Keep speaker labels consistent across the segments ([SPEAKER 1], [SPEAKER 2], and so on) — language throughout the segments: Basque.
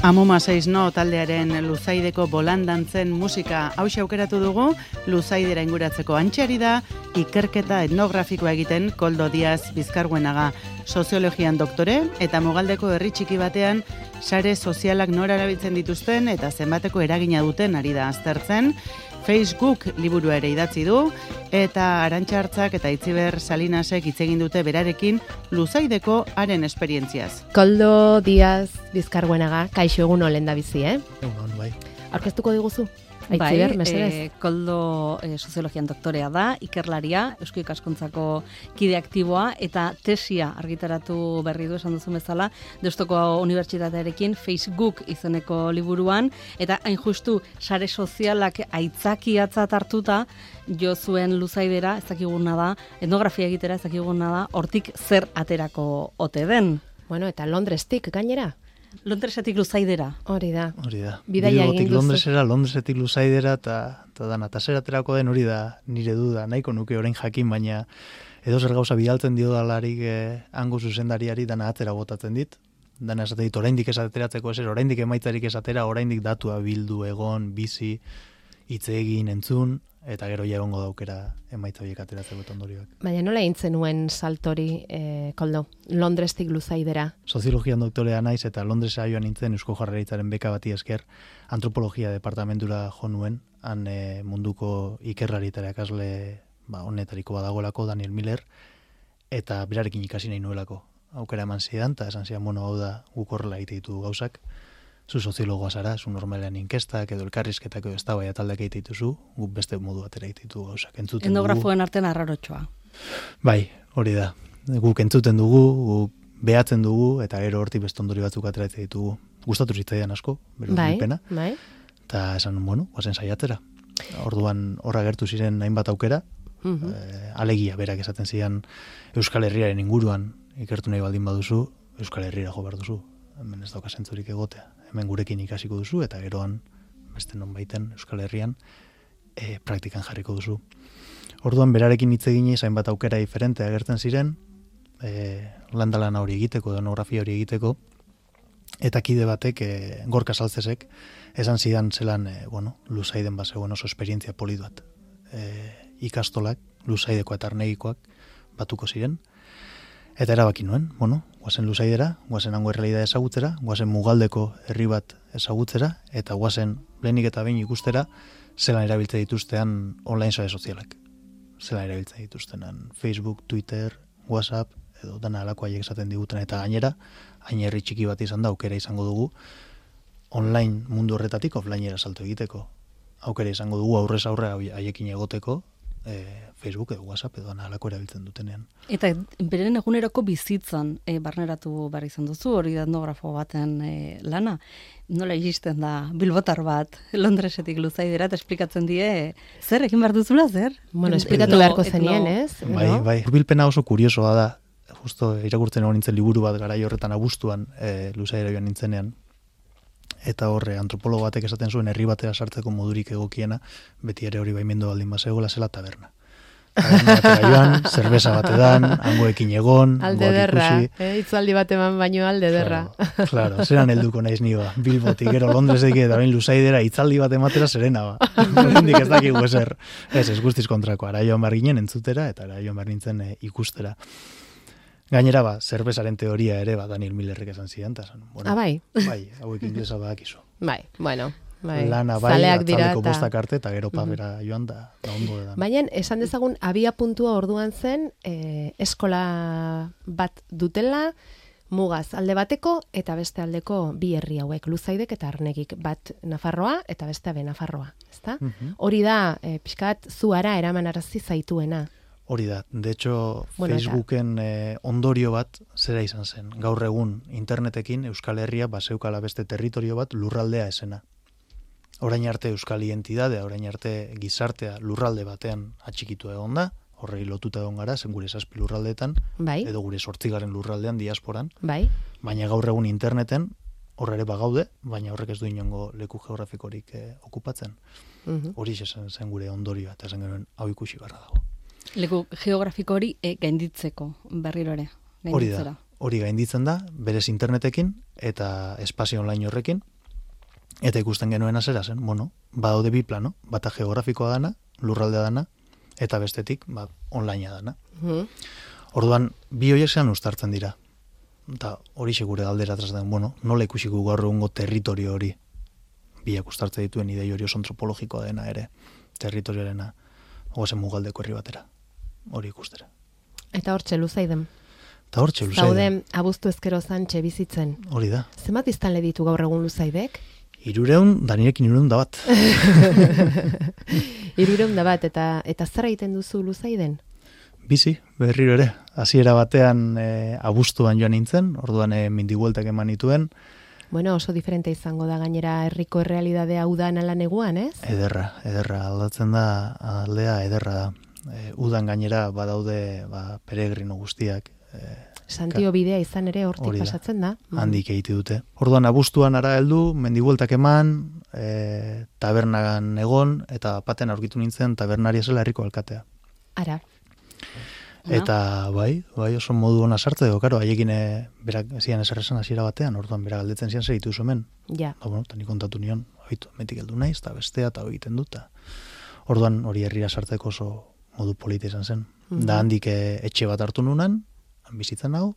[SPEAKER 1] Amuma 6 no taldearen Luzaideko bolandantzen musika hauxe aukeratu dugu, Luzaidera inguratzeko antxari da, ikerketa etnografikoa egiten Koldo Diaz Bizkarguenaga, soziologian doktore eta Mugaldeko herri txiki batean sare sozialak nora erabiltzen dituzten eta zenbateko eragina duten ari da aztertzen. Facebook liburua ere idatzi du, eta Arantxa Hartzak eta Itziber Salinasek hitz egin dute berarekin Luzaideko haren esperientziaz.
[SPEAKER 2] Koldo Diaz Bizkarguenaga, kaixo egun olen da bizi,
[SPEAKER 3] Egun, bai.
[SPEAKER 2] Aurkeztuko diguzu?
[SPEAKER 4] Bai, Koldo soziologian doktorea da, ikerlaria, Eusko Ikaskuntzako kide aktiboa, eta tesia argitaratu berri du esan duzu bezala, Deustuko Unibertsitatearekin Facebook izeneko liburuan, eta hain justu sare sozialak aitzakiatzat hartuta, jo zuen Luzaidera, ez dakiguna da, etnografia egitera ez dakiguna da, hortik zer aterako ote den.
[SPEAKER 2] Bueno, eta Londrestik gainera?
[SPEAKER 4] Londresetik Luzaidera.
[SPEAKER 2] Hori da.
[SPEAKER 3] Bidaia egin duzu. Londresetik Luzaidera, eta zer aterako den hori da nire duda, nahiko nuke orain jakin, baina edo zer gauza bidaltzen dio dalarik hango zuzendariari dana atera botatzen dit. Dana esate dit, oraindik esateratzeko eser, oraindik emaitzarik esatera, oraindik datua bildu, egon, bizi, hitz egin, entzun, eta gero ja egongo daukera emaitza horiek ateratzeko ondorioak.
[SPEAKER 2] Baina nola egin zenuen saltori, Koldo, Londrestik Luzaidera?
[SPEAKER 3] Soziologian doktorea naiz eta Londresa joan nintzen Eusko Jaurlaritzaren beka bati esker antropologia departamentura jo nuen, han munduko ikerlari eta irakasle honetariko badagoelako Daniel Miller, eta berarekin ikasi nahi nuelako. Aukera eman zidan, eta esan zidan, hau da guk horrela egite ditu gauzak. Zu soziologoa zara, zu normalean inkestak edo elkarrizketak edo eztabaida taldeak egite dituzu, guk beste modu batera egite ditu gauzak.
[SPEAKER 4] Etnografoen artean arrarotxoa.
[SPEAKER 3] Bai, hori da. Guk entzuten dugu, guk behatzen dugu, eta gero hortik beste ondorio batzuk ateratzen ditugu. Gustatu zitzaidan asko, bere urbilpena.
[SPEAKER 2] Bai.
[SPEAKER 3] Eta esan, guazen saiatzera. Orduan horra gertu ziren hainbat aukera, alegia berak esaten zidan Euskal Herriaren inguruan ikertu nahi baldin baduzu, Euskal Herriera jo behar duzu. Hemen ez dauka zentzurik egotea. Hemen gurekin ikasiko duzu, eta geroan, beste non baiten Euskal Herrian, praktikan jarriko duzu. Orduan, berarekin hitz eginez, hainbat aukera diferente agertzen ziren, landalana hori egiteko, etnografia hori egiteko, eta kide batek, Gorka Saltzesek, esan zidan zelan, Luzaiden bazegoen oso esperientzia polit bat. Ikastolak, Luzaideko eta Arnegikoak batuko ziren, eta erabaki nuen, guazen Luzaidera, guazen hango errealidad ezagutzera, guazen Mugaldeko herri bat ezagutzera, eta guazen lehenik eta behin ikustera, zelan erabiltzen dituztean online sare sozialak. Zelan erabiltzen dituztenan Facebook, Twitter, WhatsApp, edo dana alako haiek esaten diguten, eta gainera, hain herri txiki bat izan da, aukera izango dugu, online mundu horretatik offlinera salto egiteko. Aukera izango dugu aurrez aurre haiekin egoteko, Facebook edo WhatsApp edo alako erabiltzen dutenean.
[SPEAKER 4] Eta beren eguneroko bizitzan barneratu behar izan duzu, hori da etnografo baten lana. Nola iristen da bilbotar bat Londresetik Luzaidera eta esplikatzen die zer egin behar duzula, zer?
[SPEAKER 2] Esplikatu beharko zenien, ez?
[SPEAKER 3] Bai. Urbilpena oso kuriosoa da. Justo irakurtzen egon nintzen liburu bat garai horretan abuztuan Luzaidera joan nintzenean. Eta horre antropologo batek esaten zuen herri batera sartzeko modurik egokiena, beti ere hori baimendu baldin bazegoela zela taberna. Taberna batera joan, zerbeza batedan, hangoekin egon,
[SPEAKER 2] alde derra, hitzaldi bat eman baino alde derra.
[SPEAKER 3] Claro, zeran helduko naiz niba, Bilbotik, gero Londresetik eta bain Luzaidera hitzaldi bat ematera zerena ba. Hendik ez dakigu ezer. Ez guztiz kontrako, ara joan behar ginen entzutera, eta ara joan behar nintzen ikustera. Gainera, zerbezaren teoria ere, Daniel Millerrek esan zidan, eta esan,
[SPEAKER 2] bai?
[SPEAKER 3] Bai, hauek inglesa badakizu.
[SPEAKER 2] Bai,
[SPEAKER 3] lana bai, atzaldeko bostak arte, eta gero pabera joan da ondo edan.
[SPEAKER 2] Baina, esan dezagun, abia puntua orduan zen, eskola bat dutela, mugaz alde bateko, eta beste aldeko bi herri hauek, Luzaidek eta Arnegik, bat Nafarroa, eta beste abe Nafarroa, ezta? Hori da, pixkat, zuara eraman arazi zaituena.
[SPEAKER 3] Hori da, de hecho, Facebooken ondorio bat zera izan zen. Gaur egun internetekin Euskal Herria bazeukala beste territorio bat lurraldea esena. Orain arte Euskal identidadea, orain arte gizartea lurralde batean atxikitu egon da, horrei lotuta egon gara, zen gure 7 lurraldeetan,
[SPEAKER 2] Bai.
[SPEAKER 3] edo gure 8. lurraldean, diasporan,
[SPEAKER 2] Bai.
[SPEAKER 3] baina gaur egun interneten, horre ere bagaude, baina horrek ez du inongo leku geografikorik okupatzen. Hori zen gure ondorioa, eta esan genuen hau ikusi barra dago.
[SPEAKER 4] Leku geografiko hori gainditzeko berriro ere.
[SPEAKER 3] Hori da, hori gainditzen da, berez internetekin eta espazio online horrekin, eta ikusten genuen azera zen, badaude bi plano, bata geografikoa dana, lurraldea dana, eta bestetik, onlinea dana. Orduan, bi horiek zean uztartzen dira. Eta hori segure galdera den, nola ikusiko gaur egungo territorio hori, biak uztartzen dituen idei hori oso antropologikoa dena ere, territorioarena, oazen mugaldeko herri batera, hori ikustera.
[SPEAKER 2] Eta hortxe Luzaiden.
[SPEAKER 3] Zauden,
[SPEAKER 2] abuztu ezkero zantxe bizitzen.
[SPEAKER 3] Hori da.
[SPEAKER 2] Zenbat iztanle ditu gaur egun Luzaidek?
[SPEAKER 3] 300, Danirekin 300 bat.
[SPEAKER 2] 300 bat, eta zer egiten duzu Luzaiden?
[SPEAKER 3] Bizi, berriro ere. Hasiera batean abuztuan joan nintzen, orduan mindibueltak eman nituen.
[SPEAKER 2] Bueno, oso diferente izango da gainera herriko errealidadea udan ala neguan, ez?
[SPEAKER 3] Ederra, aldatzen da, aldea ederra da. Udan gainera badaude peregrino guztiak.
[SPEAKER 2] Santio bidea izan ere hortik pasatzen da.
[SPEAKER 3] Handik egite dute. Orduan abuztuan ara heldu, mendibueltak eman, tabernagan egon, eta paten aurkitu nintzen tabernaria zela herriko alkatea.
[SPEAKER 2] Ara.
[SPEAKER 3] Eta bai, oso modu ona sartze edo, karo, haiekin berak zian eserresan hasiera batean, orduan berak galdetzen zian zer ditu hemen.
[SPEAKER 2] Ja.
[SPEAKER 3] Eta nik kontatu nion, metik heldu naiz, eta bestea, eta egiten dut. Orduan hori herrira sartzeko oso modu polita izan zen. Da handik etxe bat hartu nunan, bizitzen nago.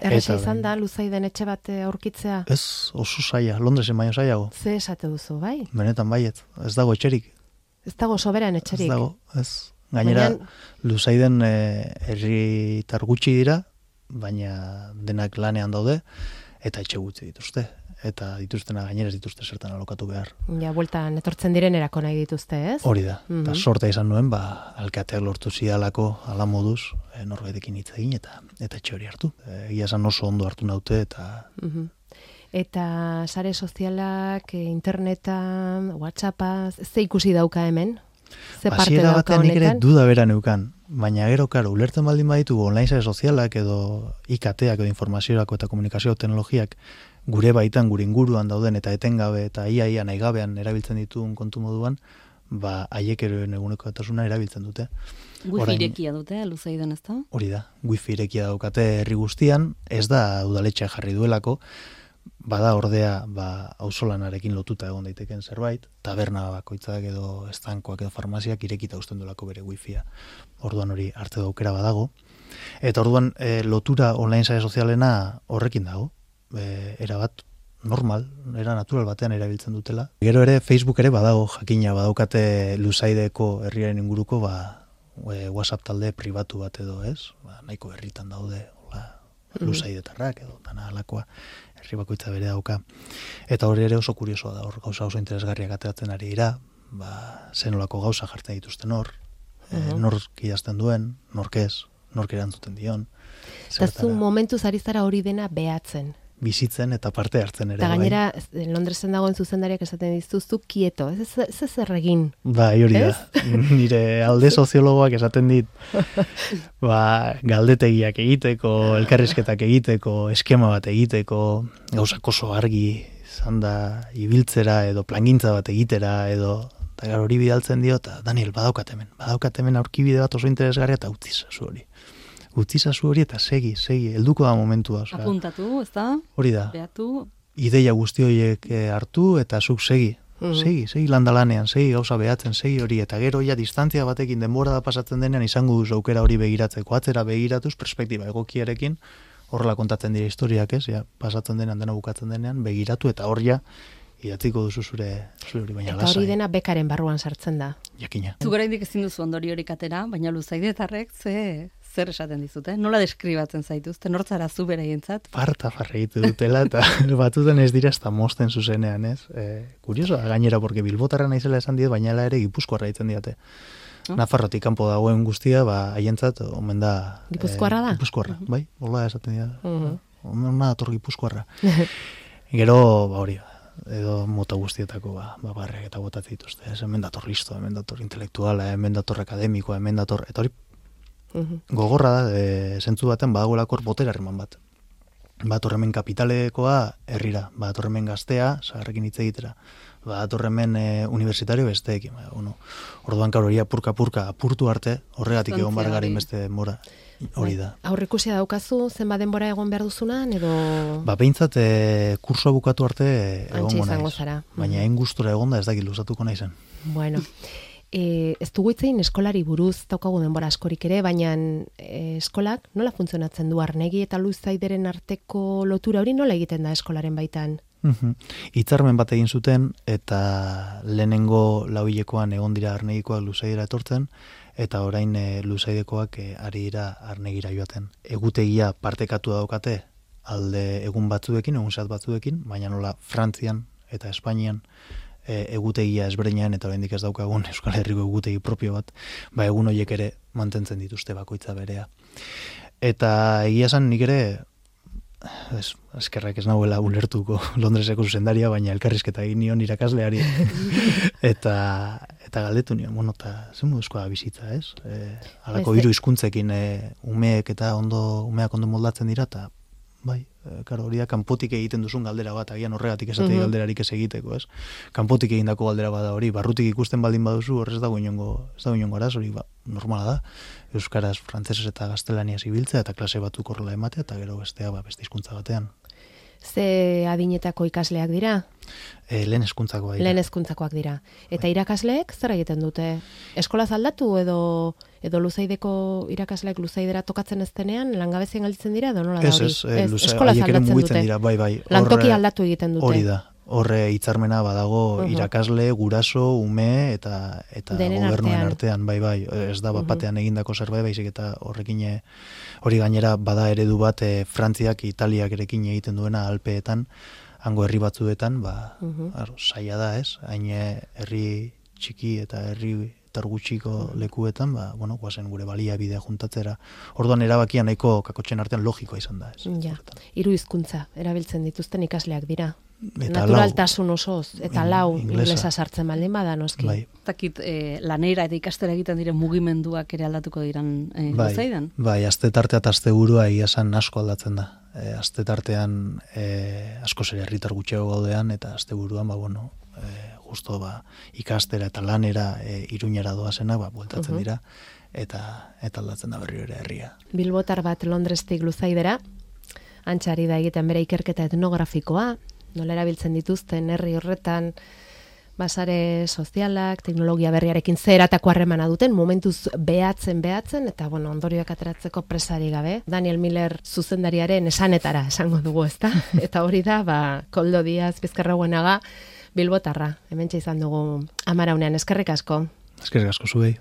[SPEAKER 2] Erresa izan da, Luzaiden etxe bat aurkitzea?
[SPEAKER 3] Ez, oso zaila, Londresen baino zailago.
[SPEAKER 2] Ze esate duzu, bai?
[SPEAKER 3] Benetan baiet, ez dago etxerik.
[SPEAKER 2] Ez dago soberan etxerik?
[SPEAKER 3] Ez dago, ez. Gainera, Luzaiden herritar gutxi dira, baina denak lanean daude, eta etxe gutxi dituzte. Eta dituztena gainera ez dituzte zertan alokatu behar. Ja,
[SPEAKER 2] bueltan etortzen direnerako nahi dituzte, ez?
[SPEAKER 3] Hori da. Eta sorta izan nuen, alkateak lortu zidalako ala moduz, norbaitekin hitz egin eta etxe hori hartu. Egia esan oso ondo hartu naute eta...
[SPEAKER 2] Eta sare sozialak, internetan, WhatsAppa, ze ikusi dauka hemen? Ze parte dauka honetan?
[SPEAKER 3] Nik ere duda bera neukan, baina gero, karo, ulertzen baldin baditu online sare sozialak edo IKTak edo informaziorako eta komunikazio teknologiak gure baitan, gure inguruan dauden eta etengabe eta ia nahi gabean erabiltzen dituen kontu moduan, haiek ere eguneko etasuna erabiltzen dute.
[SPEAKER 4] Wifi irekia dute, Luzaiden ez da?
[SPEAKER 3] Hori da, wifi irekia daukate herri guztian, ez da udaletxea jarri duelako, bada ordea auzolanarekin lotuta egon daiteken zerbait, taberna bakoitzak edo estankoak edo farmaziak irekita uzten duelako bere wifia. Orduan hori arte aukera badago. Eta orduan lotura online sare sozialena horrekin dago. Era bat normal, era natural batean erabiltzen dutela. Gero ere Facebook ere badago, jakina badaukate Luzaideko herriaren inguruko WhatsApp talde pribatu bat edo, ez? Nahiko herritan daude, Luzaidetarrak edo dana alakoa, herri bakoitza bere dauka. Eta hori ere oso kuriosoa da, hor gauza oso interesgarriak ateratzen ari dira, zenolako gauza jartzen dituzten hor, nork idazten duen, nork ez, nork erantzuten dion.
[SPEAKER 2] Eta zu momentuz ari zara hori dena behatzen.
[SPEAKER 3] Bizitzen eta parte hartzen ere.
[SPEAKER 2] Eta gainera, Londresen dagoen zuzendariak esaten dizuzu kieto, ez zer egin.
[SPEAKER 3] Hori da. Nire alde soziologoak esaten dit, galdetegiak egiteko, elkarrizketak egiteko, eskema bat egiteko, gauzak oso argi izan da ibiltzera edo plangintza bat egitera edo, eta hori bidaltzen dio, eta Daniel, badaukat hemen aurkibide bat oso interesgarria eta utzizazu hori eta segi, helduko da momentua.
[SPEAKER 4] Apuntatu, ez da?
[SPEAKER 3] Hori da.
[SPEAKER 4] Beatu.
[SPEAKER 3] Ideia guzti horiek hartu eta zuk segi. Segi landalanean, segi gauza behatzen, segi hori. Eta gero ja distantzia batekin denbora da pasatzen denean izango duzu aukera hori begiratzeko. Atzera begiratuz, perspektiba egokiarekin, horrela kontatzen dira historiak, ez? Ja, pasatzen denean, dena bukatzen denean, begiratu eta hor ja idatziko duzu zure hori baina lasai.
[SPEAKER 2] Eta hori dena bekaren barruan sartzen da.
[SPEAKER 3] Jakina.
[SPEAKER 4] Zu oraindik ezin duzu ondoriorik atera, baina Luzaidetarrek zer esaten dizute? Nola deskribatzen zaituzte? Nortzara zu beraientzat?
[SPEAKER 3] Farta egite dutela eta batuten ez dira ezta mosten zuzenean, ez? Kurioso da gainera, porque bilbotarra naizela esan dit, baina ere Gipuzkoarra ditzen diate. Nafarrotik kanpo dagoen guztia, haientzat omen da...
[SPEAKER 2] Gipuzkoarra da?
[SPEAKER 3] Gipuzkoarra, bai, hola esaten dira. Omen dator Gipuzkoarra. Gero, hori edo mota guztietako barriak eta botatzen dituzte. Hemen dator listo, hemen dator intelektuala, hemen dator akademikoa, hemen dator... Eta hori gogorra da, zentzu baten badagoelako botere harreman bat. Batorremen kapitalekoa herrira, batorremen gaztea, zaharrekin hitz egitera, batorremen universitario besteekin. Orduan kauroria purka-purka apurtu arte, horregatik egon bargarin beste mora. Hori da.
[SPEAKER 2] Aurrikusia daukazu, zenbat denbora egon behar duzunan, edo...
[SPEAKER 3] Behintzat, kursoa bukatu arte egongo
[SPEAKER 2] izango
[SPEAKER 3] naiz.
[SPEAKER 2] Zara.
[SPEAKER 3] Baina hain gustura egonda ez dakit luzatuko naizen.
[SPEAKER 2] Bueno, ez dugu itzein eskolari buruz daukagu denbora askorik ere, baina eskolak nola funtzionatzen du Arnegi eta Luzaideren arteko lotura hori nola egiten da eskolaren baitan?
[SPEAKER 3] Hitzarmen bat egin zuten eta lehenengo lauhilekoan egon dira Arnegikoak Luzaidera etortzen, eta orain Luzaidekoak ari dira Arnegira joaten. Egutegia partekatu daukate alde egun batzuekin, egun zehat batzuekin, baina nola Frantzian eta Espainian egutegia ezberdinean eta oraindik ez daukagun Euskal Herriko egutegi propio bat, egun horiek ere mantentzen dituzte bakoitza berea. Eta egia esan nik ere eskerrak ez nahuela ulertuko Londreseko zuzendaria, baina elkarrizketa egin nion irakasleari eta galdetu nion, eta zen moduzkoa bizitza, ez? Halako hiru hizkuntzekin umeak ondo moldatzen dira, eta hori da, kanpotik egiten duzun galdera bat, agian horregatik esatei galderarik ez egiteko, ez? Kanpotik egindako galdera bada hori, barrutik ikusten baldin baduzu, horrez dago inongo araz, hori normala da, euskaraz, frantzesez eta gaztelaniaz ibiltzea, eta klase batzuk horrela ematea, eta gero bestea beste hizkuntza batean.
[SPEAKER 2] Ze adinetako ikasleak dira?
[SPEAKER 3] Lehen hezkuntzakoak dira.
[SPEAKER 2] Lehen hezkuntzakoak dira. Eta irakasleek zer egiten dute? Eskolaz aldatu edo Luzaideko irakasleek Luzaidera tokatzen ez denean langabezien gelditzen dira edo nola da hori?
[SPEAKER 3] Eskolaz aldatzen dute. Bai.
[SPEAKER 2] Lantoki aldatu egiten dute.
[SPEAKER 3] Hori da. Horre hitzarmena badago irakasle, guraso, ume eta gobernuen artean, bai, ez da batean egindako zerbait, baizik eta horrekin hori gainera bada eredu bat Frantziak, Italiak erekin egiten duena Alpeetan, hango herri batzuetan, saia da, ez? Hain herri txiki eta herri gutxiko lekuetan, guazen gure baliabidea juntatzera. Orduan erabakia nahiko kakotxen artean logikoa izan da, ez?
[SPEAKER 2] Ja, 3 hizkuntza erabiltzen dituzten ikasleak dira. Naturaltasun osoz, eta 4 inglesa sartzen baldin bada, noski.
[SPEAKER 4] Takit, lanera eta ikastera egiten diren mugimenduak ere aldatuko diran Luzaidan?
[SPEAKER 3] Bai, aste tartea eta aste burua esan asko aldatzen da. Aste tartean asko zer herritar gutxiago gaudean, eta aste buruan, justo ikastera eta lanera Iruñera doazena, bueltatzen dira, eta aldatzen da berriro ere herria.
[SPEAKER 2] Bilbotar bat Londrestik Luzaidera, antxari da egiten bere ikerketa etnografikoa, nola erabiltzen dituzten herri horretan, basare sozialak, teknologia berriarekin zeratako harremana duten, momentuz behatzen, eta ondorioak ateratzeko presari gabe. Daniel Miller zuzendariaren esanetara esango dugu, ezta? Eta hori da, Koldo Diaz Bizkarrauenaga Bilbotarra, hementxe izan dugu Amaraunean, eskerrik asko.
[SPEAKER 3] Eskerrik asko zuei.